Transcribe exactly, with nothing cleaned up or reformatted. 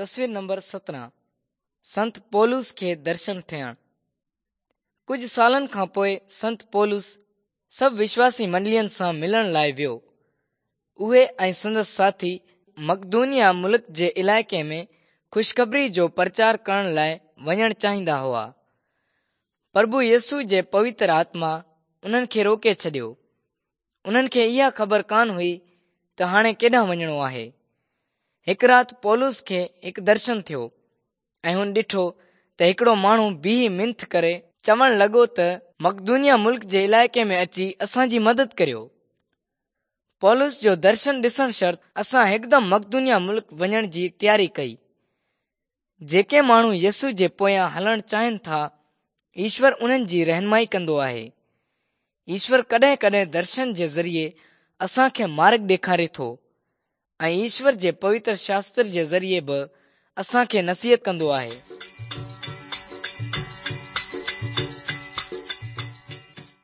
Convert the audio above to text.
تصوير نمبر سترهن سنت پولس کي درشن ٿيڻ. ڪجهه سالن کان پوءِ سنت پولس سڀ وشواسي منڊلين سان ملڻ لاءِ ويو. اهي ۽ سندس ساٿي مقدونيا ملڪ جي علائقي ۾ خوشخبري جو پرچار ڪرڻ لاءِ وڃڻ چاهيندا هئا. پرڀو يسوع جي پوتر آتما انهن کي روڪي ڇڏيو. انهن کي اها خبر ڪانه هئي ته هاڻي ڪيڏانهن وڃڻو آهي. هڪ رات پولس کي هڪ درشن ٿيو ۽ هن ڏٺو ته هڪڙو ماڻهو بيهي منٿ ڪري چوڻ لڳو ته مقدونيا ملڪ جي علائقي ۾ اچي اسان جي مدد ڪريو. پولس جو درشن ڏسڻ شرط اسان هڪدم مقدونيا ملڪ وڃڻ جي تياري ڪئي. جيڪي ماڻهو يسوع جي پويان هلڻ چاهين ٿا، ايشور انهن جي رهنمائي ڪندو آهي. ايشور ڪڏهن ڪڏهن درشن جي ذريعي اسان کي مارگ ڏيکاري ٿو ۽ ايشور جي پوتر شاستر جي ذريعي به اسان کي نصيحت ڪندو آهي.